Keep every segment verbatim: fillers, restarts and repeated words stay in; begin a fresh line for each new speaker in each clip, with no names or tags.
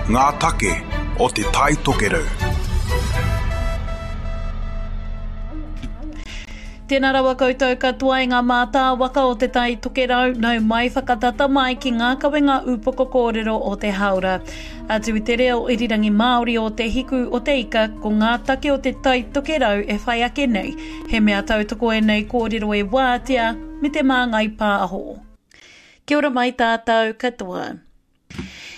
Ngā take o Te Tai Tokerau.
Tēnā rawa koutou katoa e ngā mātāwaka o Te Tai Tokerau, nau mai whakatata mai ki ngā kawenga ūpoko kōrero o te hāora. Atu i te reo irirangi Māori o Te Hiku o Te Ika, ko ngā take o Te Tai Tokerau e whai ake nei. He mea tautoko ēnei kōrero e Wātea me Te Māngai Pāho. Kia ora mai tātou katoa.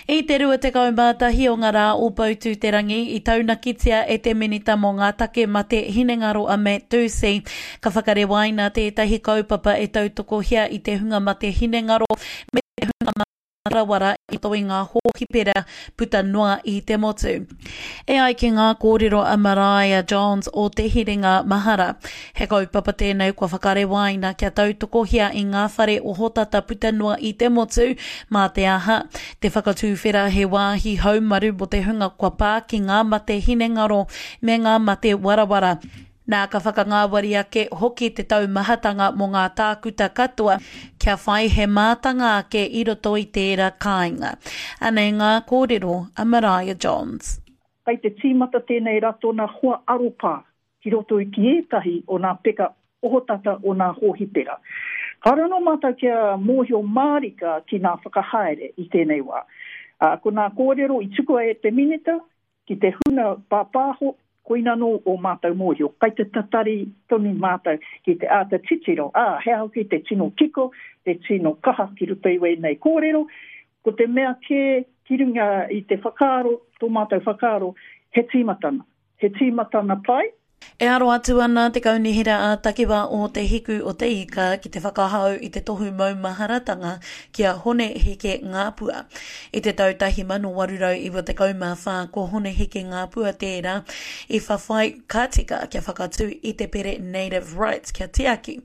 I te rua tekau mā tahi o ngā rā o Poutū-te-rangi i taunakitia e te Minita mō ngā Take Mate Hinengaro a Matt Doocey, ka whakarewaina tētahi kaupapa e tautokohia i te hunga mate hinengaro me te hunga marawara i roto i ngā hōhipera puta noa i te motu. E ai ki ngā kōrero a Maraea Johns o Te Hiringa Mahara, he kaupapa tēnei kua whakarewaina kia tautokohia i ngā whare ohotata puta noa i te motu, mā te aha, te whakatuwhera he wāhi haumaru mō te hunga kua pā ki ngā mate hinengaro me ngā mate warawara. Nā, ka whakangāwari ake hoki te taumahatanga mō ngā tākuta katoa kia whai he mātanga ake i roto i tērā kāinga. Anei ngā kōrero a Maraea Johns.
Kei te tīmata tēnei ratona hoa aropā ki roto i ki ētahi o nā peka ohotata o nā hōhipera. Kāore anō mātou kia mōhio mārika ki nā whakahaere i tēnei wā. Ā, ko nā kōrero i tukua e te Minita ki te huna pāpāho, koina anō ō mātou mōhio. Kai te tatari tonu mātou ki te āta titiro, ā, he aha hoki te tino kiko, te tino kaha ki roto i wēnei kōrero. Ko te mea kē ki runga i te whakaaro, tō mātou whakaaro, he tīmatana. He tīmatana pai.
E aro atu ana te Kaunihera ā-Takiwā o Te Hiku o Te Ika ki te whakahau i te tohu maumaharatanga ki a Hone Heke Ngāpua. I te tau tahi mano waru rau iwa tekau mā whā ko Hone Heke Ngāpua tērā i whawhai ka tika kia whakatū i te pere Native Rights kia tiaki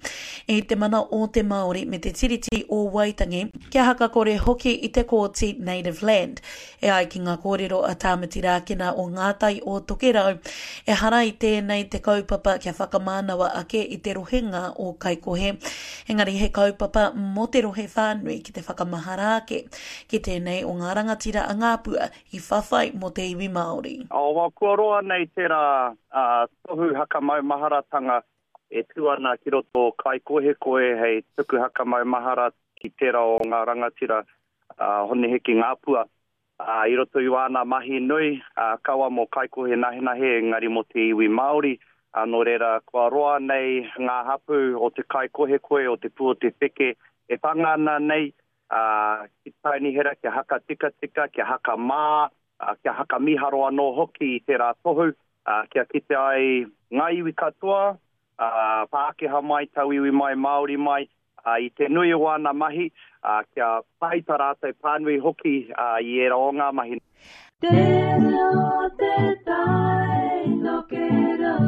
i te mana o te Māori me te Tiriti o Waitangi, kia hakakore hoki i te Kōti Native Land. E ai ki ngā kōrero a Tāmati Rākena o Ngā Tai o Tokerau, ehara i tēnei te kaupapa kia whakamānawa ake i te rohenga o Kaikohe, engari he kaupapa mō te rohe whānui ki te whakamahara ake ki tēnei o ngā rangatira a Ngāpua i whawhai mō te iwi Māori.
Oh, kua roa nei tērā tohu hakamaumaharatanga e tū ana ki roto o Kaikohekohe hei tuku hakamaumahara ki tērā o ngā rangatira a Hone Heke Ngāpua. Ā, i roto i wāna mahi nui, ā, kaua mō Kaikohe Nahenahe, engari mō te iwi Māori, ā, nō reira, kua roa nei ngā hapū o te Kaikohekohe, o te Pū o te Wheke e whanga ana nei, ā, ki te kaunihera kia haka tikatika, kia haka mā, ā, kia haka mīharo anō hoki i tērā tohu, ā, kia kite ai ngā iwi katoa, ā, Pākehā mai, tauiwi mai, Māori mai, ā, i te nui o āna mahi, ā, kia pai tā rātou pānui hoki, ā, i ērā o ngā mahi.
Te reo te tai tokerau.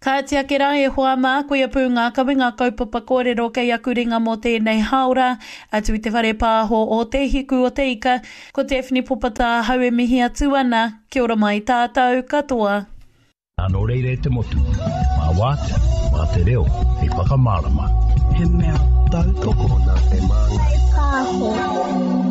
Kāti ake rā e hoa mā, koia pū ngā kawenga kaupapa kōrero kei aku ringa mō tēnei hāora, atu i te whare pāho o Te Hiku o Te Ika, ko Daphne Popata ahau e mihi atu ana, kia ora mai tātou katoa.
Nā nō reira e te motu, mā Wātea, mā te reo hei whakamārama.
He mea tautoko
nā Te Māngai Pāho.